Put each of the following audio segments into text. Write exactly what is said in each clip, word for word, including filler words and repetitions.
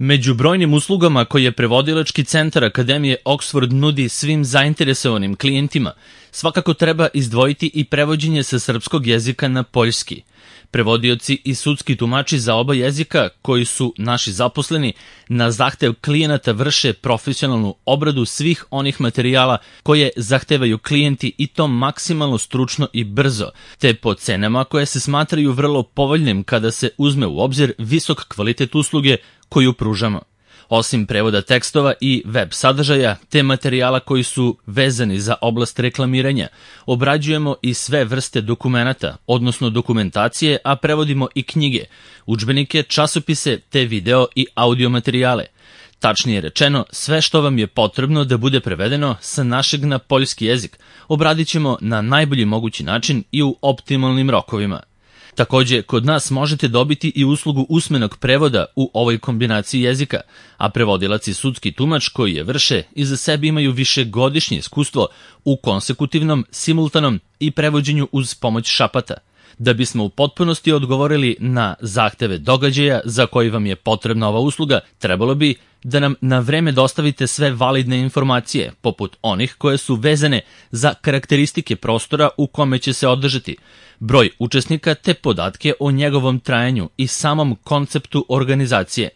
Među brojnim uslugama koje prevodilački centar Akademije Oxford nudi svim zainteresovanim klijentima, svakako treba izdvojiti i prevođenje sa srpskog jezika na poljski. Prevodioci i sudski tumači za oba jezika, koji su naši zaposleni, na zahtev klijenata vrše profesionalnu obradu svih onih materijala koje zahtevaju klijenti i to maksimalno stručno i brzo, te po cenama koje se smatraju vrlo povoljnim kada se uzme u obzir visok kvalitet usluge koju pružamo. Osim prevoda tekstova i web sadržaja, te materijala koji su vezani za oblast reklamiranja, obrađujemo i sve vrste dokumenata, odnosno dokumentacije, a prevodimo i knjige, udžbenike, časopise, te video i audio materijale. Tačnije rečeno, sve što vam je potrebno da bude prevedeno sa našeg na poljski jezik, obradit ćemo na najbolji mogući način i u optimalnim rokovima. Takođe, kod nas možete dobiti i uslugu usmenog prevoda u ovoj kombinaciji jezika, a prevodilac i sudski tumač koji je vrše iza sebe imaju višegodišnje iskustvo u konsekutivnom, simultanom i prevođenju uz pomoć šapata. Da bismo u potpunosti odgovorili na zahteve događaja za koji vam je potrebna ova usluga, trebalo bi da nam na vreme dostavite sve validne informacije, poput onih koje su vezane za karakteristike prostora u kome će se održati, broj učesnika te podatke o njegovom trajanju i samom konceptu organizacije.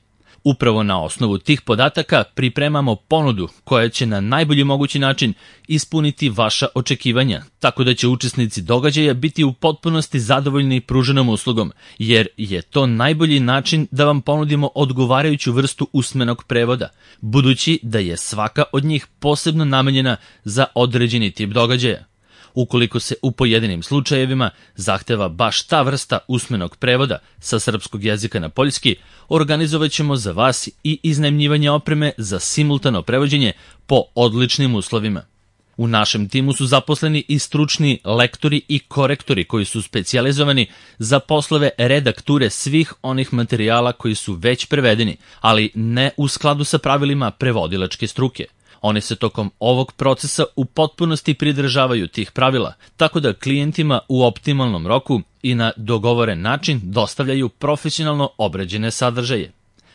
Upravo na osnovu tih podataka pripremamo ponudu koja će na najbolji mogući način ispuniti vaša očekivanja, tako da će učesnici događaja biti u potpunosti zadovoljni pruženom uslugom, jer je to najbolji način da vam ponudimo odgovarajuću vrstu usmenog prevoda, budući da je svaka od njih posebno namenjena za određeni tip događaja. Ukoliko se u pojedinim slučajevima zahteva baš ta vrsta usmenog prevoda sa srpskog jezika na poljski, organizovat ćemo za vas i iznajmljivanje opreme za simultano prevođenje po odličnim uslovima. U našem timu su zaposleni i stručni lektori i korektori koji su specijalizovani za poslove redakture svih onih materijala koji su već prevedeni, ali ne u skladu sa pravilima prevodilačke struke. Oni se tokom ovog procesa u potpunosti pridržavaju tih pravila, tako da klijentima u optimalnom roku i na dogovoren način dostavljaju profesionalno obrađene sadržaje.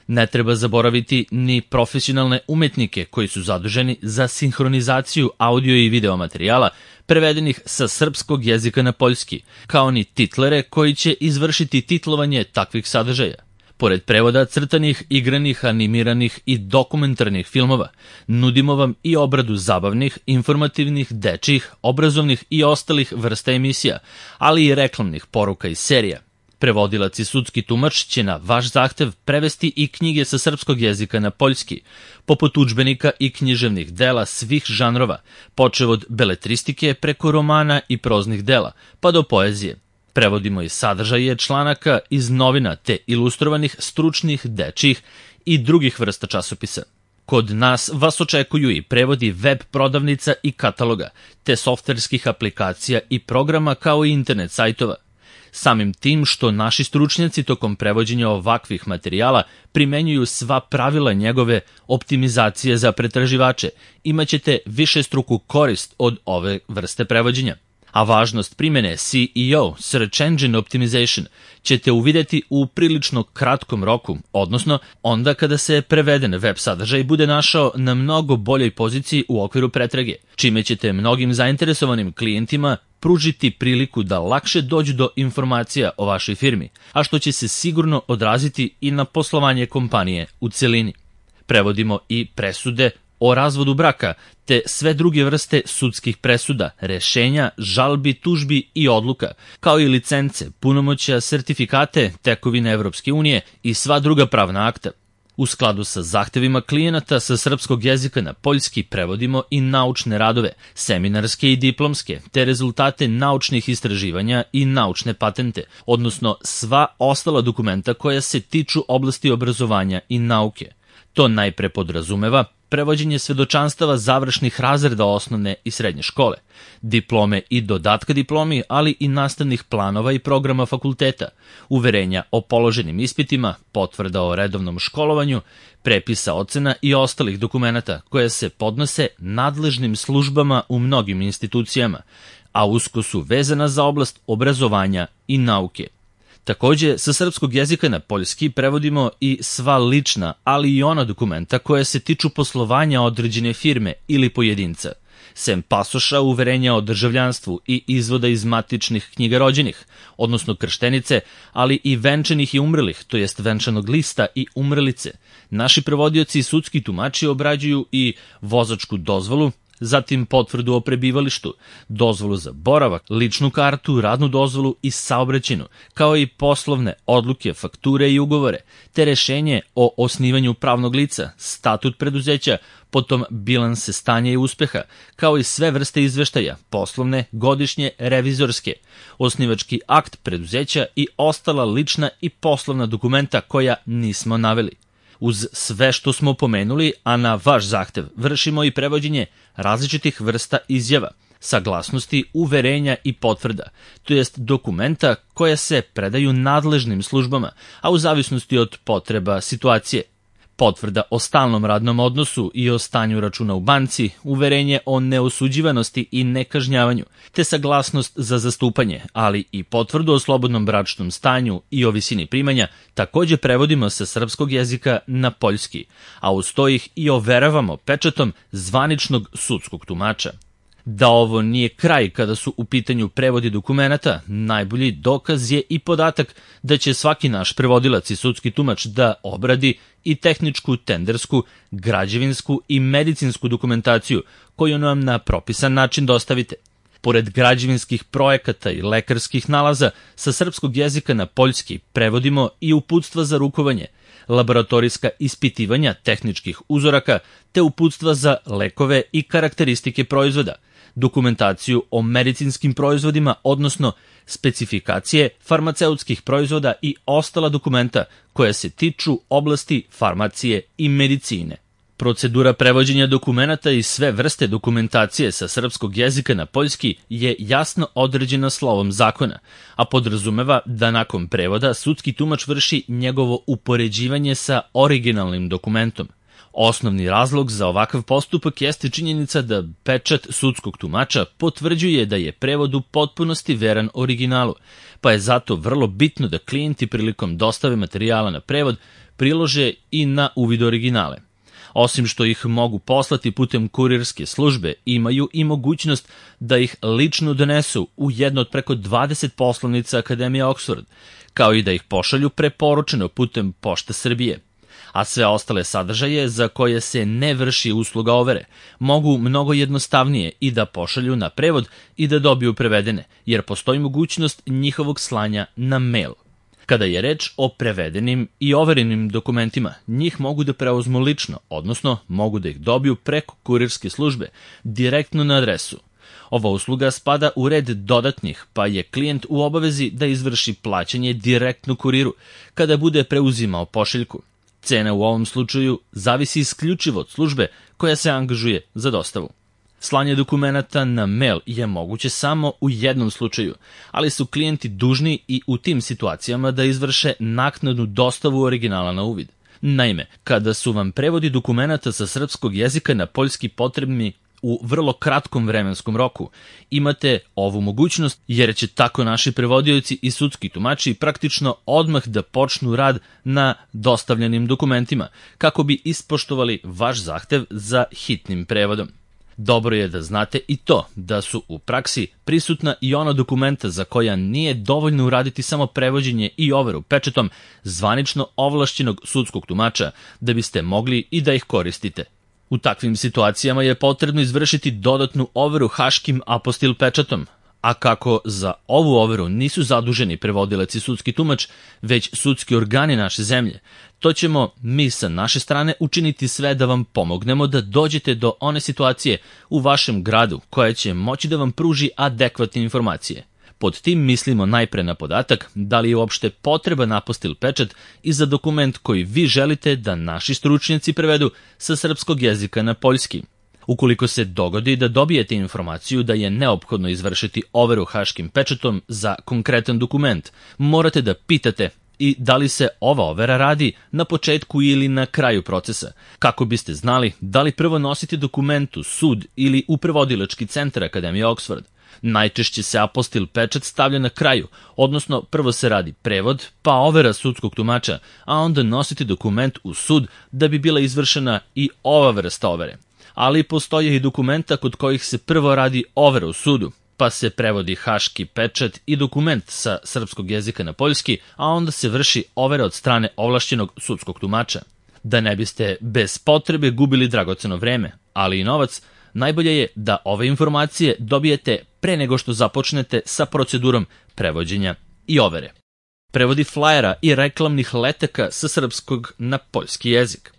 Ne treba zaboraviti ni profesionalne umetnike koji su zaduženi za sinhronizaciju audio i video materijala prevedenih sa srpskog jezika na poljski, kao ni titlere koji će izvršiti titlovanje takvih sadržaja. Pored prevoda crtanih, igranih, animiranih i dokumentarnih filmova, nudimo vam i obradu zabavnih, informativnih, dečjih, obrazovnih i ostalih vrsta emisija, ali i reklamnih poruka i serija. Prevodilac i sudski tumač će na vaš zahtev prevesti i knjige sa srpskog jezika na poljski, poput udžbenika i književnih dela svih žanrova, počev od beletristike preko romana i proznih dela, pa do poezije. Prevodimo i sadržaje članaka iz novina te ilustrovanih, stručnih, dečjih i drugih vrsta časopisa. Kod nas vas očekuju i prevodi web prodavnica i kataloga, te softverskih aplikacija i programa kao i internet sajtova. Samim tim što naši stručnjaci tokom prevođenja ovakvih materijala primenjuju sva pravila njegove optimizacije za pretraživače, imaćete višestruku korist od ove vrste prevođenja. A važnost primene S E O, Search Engine Optimization, ćete uvideti u prilično kratkom roku, odnosno onda kada se preveden web sadržaj bude našao na mnogo boljoj poziciji u okviru pretrage, čime ćete mnogim zainteresovanim klijentima pružiti priliku da lakše dođu do informacija o vašoj firmi, a što će se sigurno odraziti i na poslovanje kompanije u celini. Prevodimo i presude o razvodu braka, te sve druge vrste sudskih presuda, rešenja, žalbi, tužbi i odluka, kao i licence, punomoćja, sertifikate, tekovine Evropske unije i sva druga pravna akta. U skladu sa zahtevima klijenata sa srpskog jezika na poljski prevodimo i naučne radove, seminarske i diplomske, te rezultate naučnih istraživanja i naučne patente, odnosno sva ostala dokumenta koja se tiču oblasti obrazovanja i nauke. To najpre podrazumeva prevođenje svedočanstava završnih razreda osnovne i srednje škole, diplome i dodatka diplomi, ali i nastavnih planova i programa fakulteta, uverenja o položenim ispitima, potvrda o redovnom školovanju, prepisa ocena i ostalih dokumenata koje se podnose nadležnim službama u mnogim institucijama, a usko su vezana za oblast obrazovanja i nauke. Takođe, sa srpskog jezika na poljski prevodimo i sva lična, ali i ona dokumenta koja se tiču poslovanja određene firme ili pojedinca, sem pasoša, uverenja o državljanstvu i izvoda iz matičnih knjiga rođenih, odnosno krštenice, ali i venčanih i umrlih, to jest venčanog lista i umrlice. Naši prevodioci i sudski tumači obrađuju i vozačku dozvolu, zatim potvrdu o prebivalištu, dozvolu za boravak, ličnu kartu, radnu dozvolu i saobraćajnu, kao i poslovne odluke, fakture i ugovore, te rešenje o osnivanju pravnog lica, statut preduzeća, potom bilanse stanja i uspeha, kao i sve vrste izveštaja, poslovne, godišnje, revizorske, osnivački akt preduzeća i ostala lična i poslovna dokumenta koja nismo naveli. Uz sve što smo pomenuli, a na vaš zahtev, vršimo i prevođenje različitih vrsta izjava, saglasnosti, uverenja i potvrda, to jest dokumenta koja se predaju nadležnim službama, a u zavisnosti od potreba situacije. Potvrda o stalnom radnom odnosu i o stanju računa u banci, uverenje o neosuđivanosti i nekažnjavanju, te saglasnost za zastupanje, ali i potvrdu o slobodnom bračnom stanju i o visini primanja, takođe prevodimo sa srpskog jezika na poljski, a uz to ih i overavamo pečatom zvaničnog sudskog tumača. Da ovo nije kraj kada su u pitanju prevodi dokumenata, najbolji dokaz je i podatak da će svaki naš prevodilac i sudski tumač da obradi i tehničku, tendersku, građevinsku i medicinsku dokumentaciju koju nam na propisan način dostavite. Pored građevinskih projekata i lekarskih nalaza, sa srpskog jezika na poljski prevodimo i uputstva za rukovanje, laboratorijska ispitivanja tehničkih uzoraka, te uputstva za lekove i karakteristike proizvoda, dokumentaciju o medicinskim proizvodima, odnosno specifikacije farmaceutskih proizvoda i ostala dokumenta koja se tiču oblasti farmacije i medicine. Procedura prevođenja dokumenata i sve vrste dokumentacije sa srpskog jezika na poljski je jasno određena slovom zakona, a podrazumeva da nakon prevoda sudski tumač vrši njegovo upoređivanje sa originalnim dokumentom. Osnovni razlog za ovakav postupak jeste činjenica da pečat sudskog tumača potvrđuje da je prevod u potpunosti veran originalu, pa je zato vrlo bitno da klijenti prilikom dostave materijala na prevod prilože i na uvid originale. Osim što ih mogu poslati putem kurirske službe, imaju i mogućnost da ih lično donesu u jedno od preko dvadeset poslovnica Akademije Oxford, kao i da ih pošalju preporučeno putem Pošte Srbije. A sve ostale sadržaje za koje se ne vrši usluga overe mogu mnogo jednostavnije i da pošalju na prevod i da dobiju prevedene, jer postoji mogućnost njihovog slanja na mail. Kada je reč o prevedenim i overenim dokumentima, njih mogu da preuzmu lično, odnosno mogu da ih dobiju preko kurirske službe, direktno na adresu. Ova usluga spada u red dodatnih, pa je klijent u obavezi da izvrši plaćanje direktno kuriru kada bude preuzimao pošiljku. Cena u ovom slučaju zavisi isključivo od službe koja se angažuje za dostavu. Slanje dokumenata na mail je moguće samo u jednom slučaju, ali su klijenti dužni i u tim situacijama da izvrše naknadnu dostavu originala na uvid. Naime, kada su vam prevodi dokumenata sa srpskog jezika na poljski potrebni u vrlo kratkom vremenskom roku, imate ovu mogućnost jer će tako naši prevodioci i sudski tumači praktično odmah da počnu rad na dostavljenim dokumentima, kako bi ispoštovali vaš zahtev za hitnim prevodom. Dobro je da znate i to da su u praksi prisutna i ona dokumenta za koja nije dovoljno uraditi samo prevođenje i overu pečatom zvanično ovlašćenog sudskog tumača da biste mogli i da ih koristite. U takvim situacijama je potrebno izvršiti dodatnu overu haškim apostil pečatom, a kako za ovu overu nisu zaduženi prevodilac i sudski tumač, već sudski organi naše zemlje, to ćemo mi sa naše strane učiniti sve da vam pomognemo da dođete do one situacije u vašem gradu koja će moći da vam pruži adekvatne informacije. Pod tim mislimo najpre na podatak da li je uopšte potreban apostil pečat i za dokument koji vi želite da naši stručnjaci prevedu sa srpskog jezika na poljski. Ukoliko se dogodi da dobijete informaciju da je neophodno izvršiti overu haškim pečatom za konkretan dokument, morate da pitate i da li se ova overa radi na početku ili na kraju procesa, kako biste znali da li prvo nosite dokument u sud ili u prevodilački centar Akademije Oxford. Najčešće se apostil pečat stavlja na kraju, odnosno prvo se radi prevod, pa overa sudskog tumača, a onda nositi dokument u sud da bi bila izvršena i ova vrsta overe. Ali postoje i dokumenta kod kojih se prvo radi overa u sudu, pa se prevodi haški pečat i dokument sa srpskog jezika na poljski, a onda se vrši overa od strane ovlašćenog sudskog tumača. Da ne biste bez potrebe gubili dragoceno vreme, ali i novac, najbolje je da ove informacije dobijete pre nego što započnete sa procedurom prevođenja i overe. Prevodi flajera i reklamnih letaka sa srpskog na poljski jezik.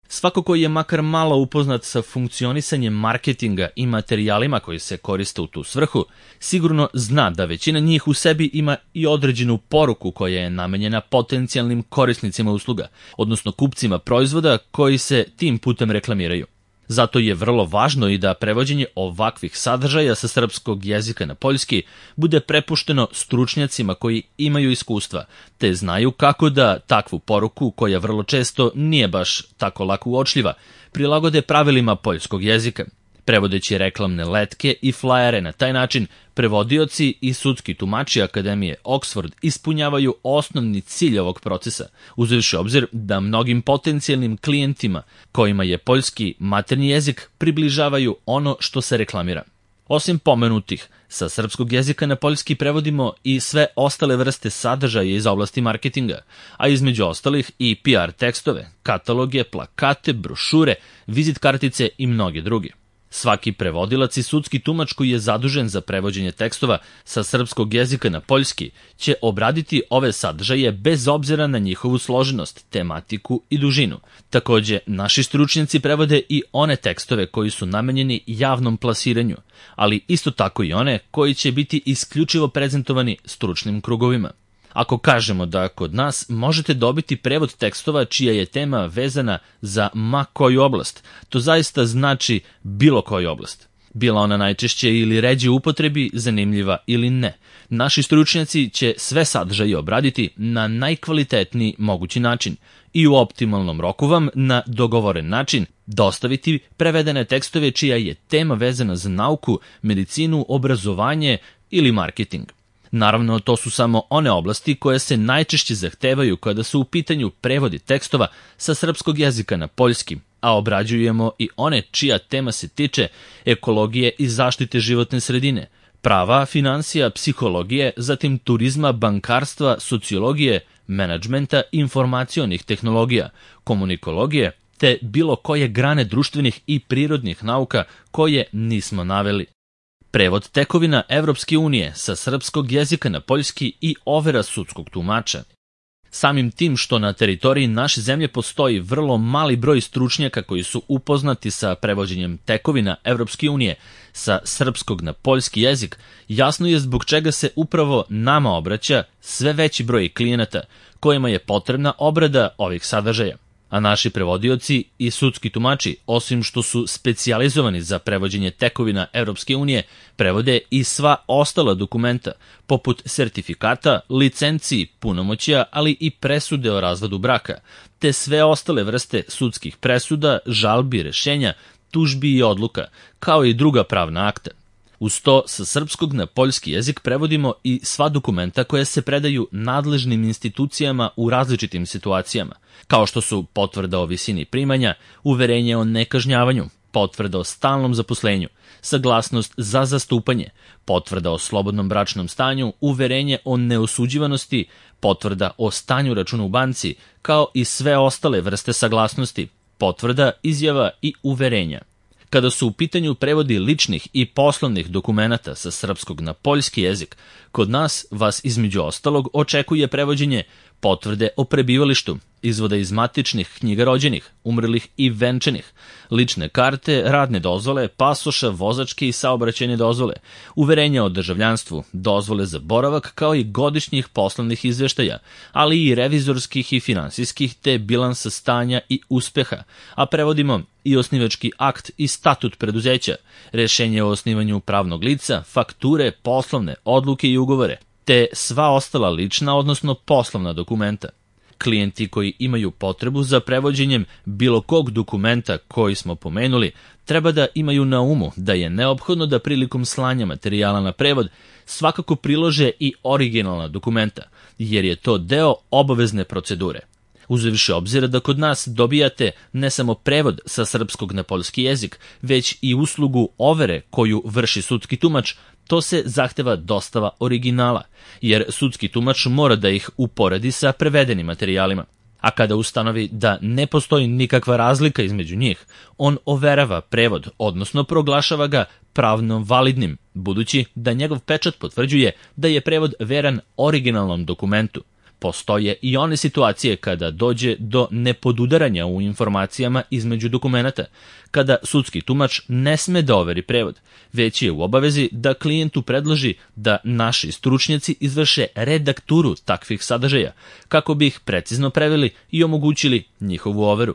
Svako koji je makar malo upoznat sa funkcionisanjem marketinga i materijalima koji se koriste u tu svrhu, sigurno zna da većina njih u sebi ima i određenu poruku koja je namenjena potencijalnim korisnicima usluga, odnosno kupcima proizvoda koji se tim putem reklamiraju. Zato je vrlo važno i da prevođenje ovakvih sadržaja sa srpskog jezika na poljski bude prepušteno stručnjacima koji imaju iskustva, te znaju kako da takvu poruku, koja vrlo često nije baš tako lako uočljiva, prilagode pravilima poljskog jezika. Prevodeći reklamne letke i flajere na taj način, prevodioci i sudski tumači Akademije Oxford ispunjavaju osnovni cilj ovog procesa, uzevši obzir da mnogim potencijalnim klijentima kojima je poljski maternji jezik približavaju ono što se reklamira. Osim pomenutih, sa srpskog jezika na poljski prevodimo i sve ostale vrste sadržaja iz oblasti marketinga, a između ostalih i P R tekstove, kataloge, plakate, brošure, vizit kartice i mnoge druge. Svaki prevodilac i sudski tumač koji je zadužen za prevođenje tekstova sa srpskog jezika na poljski će obraditi ove sadržaje bez obzira na njihovu složenost, tematiku i dužinu. Takođe, naši stručnjaci prevode i one tekstove koji su namenjeni javnom plasiranju, ali isto tako i one koji će biti isključivo prezentovani stručnim krugovima. Ako kažemo da kod nas možete dobiti prevod tekstova čija je tema vezana za ma koju oblast, to zaista znači bilo koju oblast. Bila ona najčešće ili ređe upotrebi, zanimljiva ili ne. Naši stručnjaci će sve sadržaje obraditi na najkvalitetniji mogući način i u optimalnom roku vam na dogovoren način dostaviti prevedene tekstove čija je tema vezana za nauku, medicinu, obrazovanje ili marketing. Naravno, to su samo one oblasti koje se najčešće zahtevaju kada su u pitanju prevodi tekstova sa srpskog jezika na poljski, a obrađujemo i one čija tema se tiče ekologije i zaštite životne sredine, prava, finansija, psihologije, zatim turizma, bankarstva, sociologije, menadžmenta, informacionih tehnologija, komunikologije, te bilo koje grane društvenih i prirodnih nauka koje nismo naveli. Prevod tekovina Evropske unije sa srpskog jezika na poljski i overa sudskog tumača. Samim tim što na teritoriji naše zemlje postoji vrlo mali broj stručnjaka koji su upoznati sa prevođenjem tekovina Evropske unije sa srpskog na poljski jezik, jasno je zbog čega se upravo nama obraća sve veći broj klijenata kojima je potrebna obrada ovih sadržaja. A naši prevodioci i sudski tumači, osim što su specijalizovani za prevođenje tekovina Evropske unije, prevode i sva ostala dokumenta, poput sertifikata, licenciji, punomoćja, ali i presude o razvodu braka, te sve ostale vrste sudskih presuda, žalbi, rešenja, tužbi i odluka, kao i druga pravna akta. Uz to, sa srpskog na poljski jezik prevodimo i sva dokumenta koja se predaju nadležnim institucijama u različitim situacijama, kao što su potvrda o visini primanja, uverenje o nekažnjavanju, potvrda o stalnom zaposlenju, saglasnost za zastupanje, potvrda o slobodnom bračnom stanju, uverenje o neosuđivanosti, potvrda o stanju računa u banci, kao i sve ostale vrste saglasnosti, potvrda, izjava i uverenja. Kada su u pitanju prevodi ličnih i poslovnih dokumenata sa srpskog na poljski jezik, kod nas vas između ostalog očekuje prevođenje potvrde o prebivalištu, izvoda iz matičnih knjiga rođenih, umrlih i venčanih, lične karte, radne dozvole, pasoša, vozačke i saobraćajne dozvole, uverenja o državljanstvu, dozvole za boravak kao i godišnjih poslovnih izveštaja, ali i revizorskih i finansijskih te bilansa stanja i uspeha, a prevodimo i osnivački akt i statut preduzeća, rešenje o osnivanju pravnog lica, fakture, poslovne odluke i ugovore, te sva ostala lična, odnosno poslovna dokumenta. Klijenti koji imaju potrebu za prevođenjem bilo kog dokumenta koji smo pomenuli, treba da imaju na umu da je neophodno da prilikom slanja materijala na prevod svakako prilože i originalna dokumenta, jer je to deo obavezne procedure. Uzevši obzir da kod nas dobijate ne samo prevod sa srpskog na poljski jezik, već i uslugu overe koju vrši sudski tumač, to se zahteva dostava originala, jer sudski tumač mora da ih uporedi sa prevedenim materijalima. A kada ustanovi da ne postoji nikakva razlika između njih, on overava prevod, odnosno proglašava ga pravno validnim, budući da njegov pečat potvrđuje da je prevod veran originalnom dokumentu. Postoje i one situacije kada dođe do nepodudaranja u informacijama između dokumenata, kada sudski tumač ne sme da overi prevod, već je u obavezi da klijentu predloži da naši stručnjaci izvrše redakturu takvih sadržaja, kako bi ih precizno preveli i omogućili njihovu overu.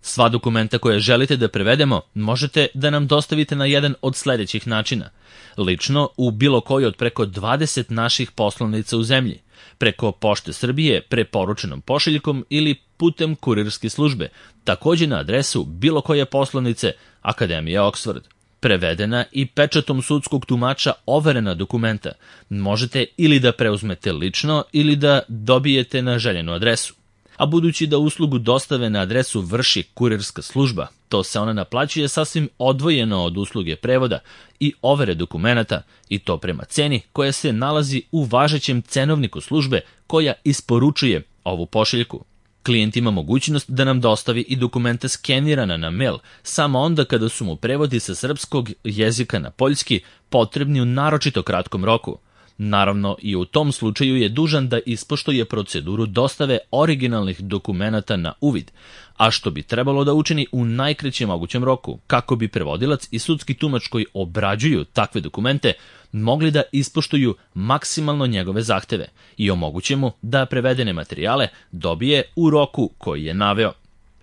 Sva dokumenta koje želite da prevedemo možete da nam dostavite na jedan od sledećih načina. Lično u bilo koji od preko dvadeset naših poslovnica u zemlji, preko Pošte Srbije preporučenom pošiljkom ili putem kurirske službe, takođe na adresu bilo koje poslovnice Akademije Oxford. Prevedena i pečatom sudskog tumača overena dokumenta možete ili da preuzmete lično ili da dobijete na željenu adresu. A budući da uslugu dostave na adresu vrši kurirska služba, to se ona naplaćuje sasvim odvojeno od usluge prevoda i overe dokumenata, i to prema ceni koja se nalazi u važećem cenovniku službe koja isporučuje ovu pošiljku. Klijent ima mogućnost da nam dostavi i dokumenta skenirana na mail, samo onda kada su mu prevodi sa srpskog jezika na poljski potrebni u naročito kratkom roku. Naravno, i u tom slučaju je dužan da ispoštuje proceduru dostave originalnih dokumenata na uvid, a što bi trebalo da učini u najkraćem mogućem roku, kako bi prevodilac i sudski tumač koji obrađuju takve dokumente mogli da ispoštuju maksimalno njegove zahteve i omoguće mu da prevedene materijale dobije u roku koji je naveo.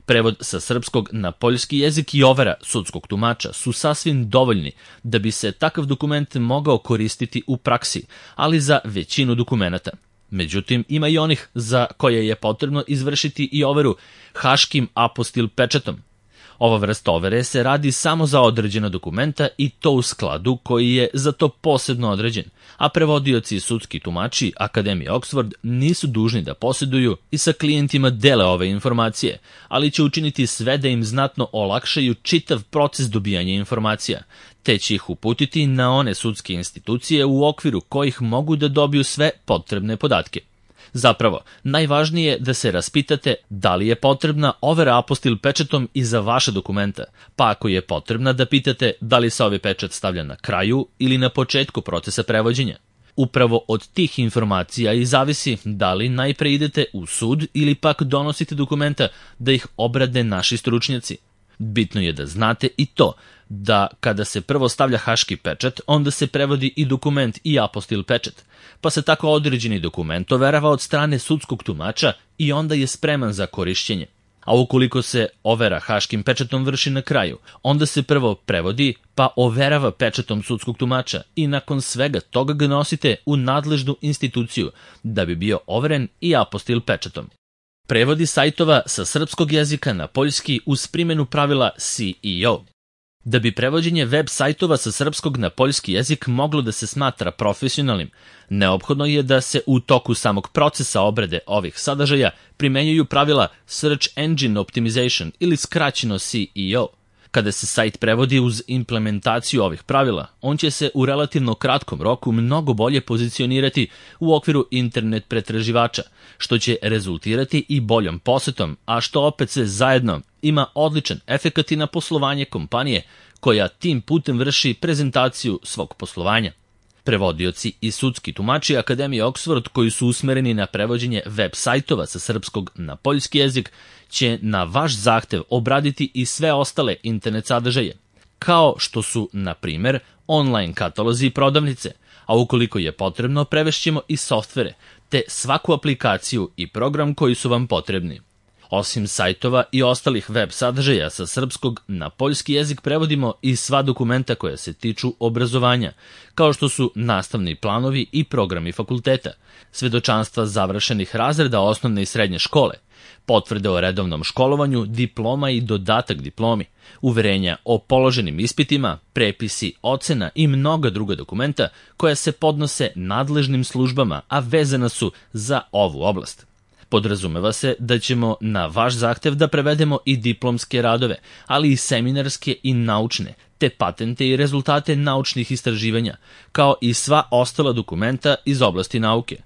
Prevod sa srpskog na poljski jezik i overa sudskog tumača su sasvim dovoljni da bi se takav dokument mogao koristiti u praksi, ali za većinu dokumenata. Međutim, ima i onih za koje je potrebno izvršiti i overu haškim apostil pečatom. Ova vrsta overe se radi samo za određena dokumenta i to u skladu koji je za to posebno određen, a prevodioci i sudski tumači Akademije Oxford nisu dužni da posjeduju i sa klijentima dele ove informacije, ali će učiniti sve da im znatno olakšaju čitav proces dobijanja informacija, te će ih uputiti na one sudske institucije u okviru kojih mogu da dobiju sve potrebne podatke. Zapravo, najvažnije je da se raspitate da li je potrebna overa apostil pečatom i za vaše dokumenta, pa ako je potrebna da pitate da li se ovaj pečat stavlja na kraju ili na početku procesa prevođenja. Upravo od tih informacija i zavisi da li najpre idete u sud ili pak donosite dokumenta da ih obrade naši stručnjaci. Bitno je da znate i to da kada se prvo stavlja haški pečat, onda se prevodi i dokument i apostil pečat, pa se tako određeni dokument overava od strane sudskog tumača i onda je spreman za korišćenje. A ukoliko se overa haškim pečatom vrši na kraju, onda se prvo prevodi pa overava pečatom sudskog tumača i nakon svega toga ga nosite u nadležnu instituciju da bi bio overen i apostil pečatom. Prevodi sajtova sa srpskog jezika na poljski uz primjenu pravila S E O. Da bi prevođenje web sajtova sa srpskog na poljski jezik moglo da se smatra profesionalnim, neophodno je da se u toku samog procesa obrade ovih sadržaja primenjuju pravila Search Engine Optimization ili skraćeno S E O. Kada se sajt prevodi uz implementaciju ovih pravila, on će se u relativno kratkom roku mnogo bolje pozicionirati u okviru internet pretraživača, što će rezultirati i boljom posetom, a što opet sve zajedno ima odličan efekat i na poslovanje kompanije koja tim putem vrši prezentaciju svog poslovanja. Prevodioci i sudski tumači Akademije Oxford koji su usmereni na prevođenje web sajtova sa srpskog na poljski jezik će na vaš zahtev obraditi i sve ostale internet sadržaje, kao što su, na primer, online katalozi i prodavnice, a ukoliko je potrebno prevešćemo i softvere, te svaku aplikaciju i program koji su vam potrebni. Osim sajtova i ostalih web sadržaja sa srpskog na poljski jezik prevodimo i sva dokumenta koja se tiču obrazovanja, kao što su nastavni planovi i programi fakulteta, svedočanstva završenih razreda osnovne i srednje škole, potvrde o redovnom školovanju, diploma i dodatak diplomi, uverenja o položenim ispitima, prepisi, ocena i mnoga druga dokumenta koja se podnose nadležnim službama, a vezana su za ovu oblast. Podrazumeva se da ćemo na vaš zahtev da prevedemo i diplomske radove, ali i seminarske i naučne, te patente i rezultate naučnih istraživanja, kao i sva ostala dokumenta iz oblasti nauke.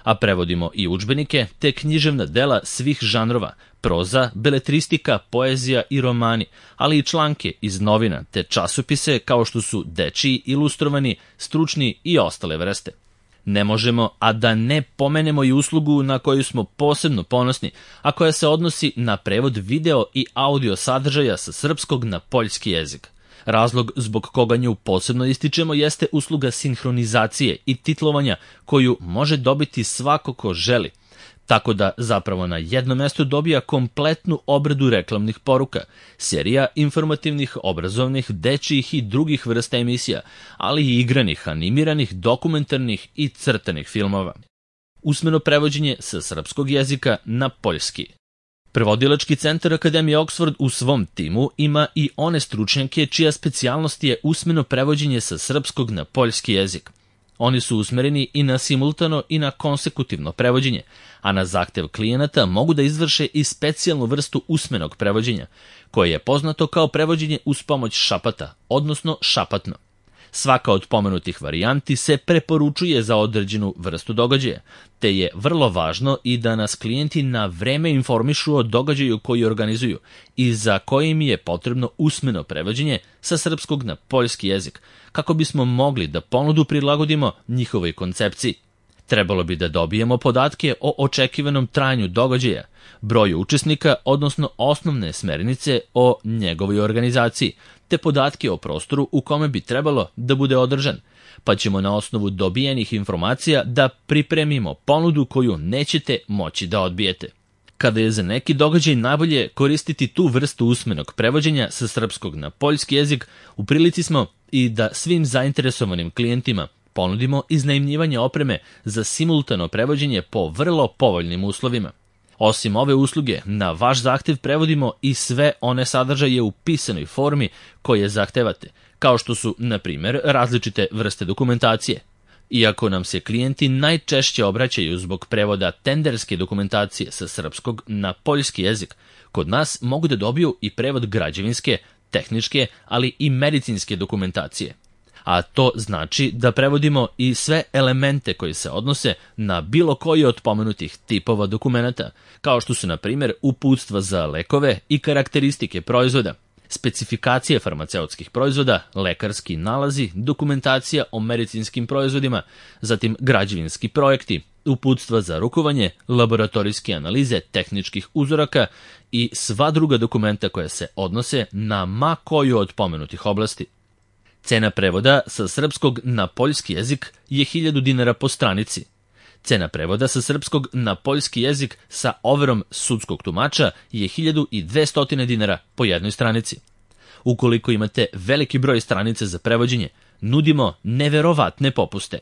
A prevodimo i udžbenike te književna dela svih žanrova, proza, beletristika, poezija i romani, ali i članke iz novina te časopise kao što su dečiji, ilustrovani, stručni i ostale vrste. Ne možemo, a da ne pomenemo i uslugu na koju smo posebno ponosni, a koja se odnosi na prevod video i audio sadržaja sa srpskog na poljski jezik. Razlog zbog koga nju posebno ističemo jeste usluga sinhronizacije i titlovanja koju može dobiti svako ko želi, tako da zapravo na jednom mestu dobija kompletnu obradu reklamnih poruka, serija informativnih, obrazovnih, dečijih i drugih vrsta emisija, ali i igranih, animiranih, dokumentarnih i crtanih filmova. Usmeno prevođenje sa srpskog jezika na poljski. Prevodilački centar Akademije Oxford u svom timu ima i one stručnjake čija specijalnost je usmeno prevođenje sa srpskog na poljski jezik. Oni su usmereni i na simultano i na konsekutivno prevođenje, a na zahtev klijenata mogu da izvrše i specijalnu vrstu usmenog prevođenja, koje je poznato kao prevođenje uz pomoć šapata, odnosno šapatno. Svaka od pomenutih varijanti se preporučuje za određenu vrstu događaja, te je vrlo važno i da nas klijenti na vreme informišu o događaju koji organizuju i za kojim je potrebno usmeno prevođenje sa srpskog na poljski jezik, kako bismo mogli da ponudu prilagodimo njihovoj koncepciji. Trebalo bi da dobijemo podatke o očekivanom trajanju događaja, broju učesnika, odnosno osnovne smernice o njegovoj organizaciji, te podatke o prostoru u kome bi trebalo da bude održan, pa ćemo na osnovu dobijenih informacija da pripremimo ponudu koju nećete moći da odbijete. Kada je za neki događaj najbolje koristiti tu vrstu usmenog prevođenja sa srpskog na poljski jezik, u prilici smo i da svim zainteresovanim klijentima ponudimo iznajmljivanje opreme za simultano prevođenje po vrlo povoljnim uslovima. Osim ove usluge, na vaš zahtev prevodimo i sve one sadržaje u pisanoj formi koje zahtevate, kao što su, na primjer, različite vrste dokumentacije. Iako nam se klijenti najčešće obraćaju zbog prevoda tenderske dokumentacije sa srpskog na poljski jezik, kod nas mogu da dobiju i prevod građevinske, tehničke, ali i medicinske dokumentacije. A to znači da prevodimo i sve elemente koji se odnose na bilo koji od pomenutih tipova dokumenata, kao što su, na primjer, uputstva za lekove i karakteristike proizvoda, specifikacije farmaceutskih proizvoda, lekarski nalazi, dokumentacija o medicinskim proizvodima, zatim građevinski projekti, uputstva za rukovanje, laboratorijske analize tehničkih uzoraka i sva druga dokumenta koja se odnose na ma koju od pomenutih oblasti. Cena prevoda sa srpskog na poljski jezik je hiljadu dinara po stranici. Cena prevoda sa srpskog na poljski jezik sa overom sudskog tumača je hiljadu dvesta dinara po jednoj stranici. Ukoliko imate veliki broj stranice za prevođenje, nudimo neverovatne popuste.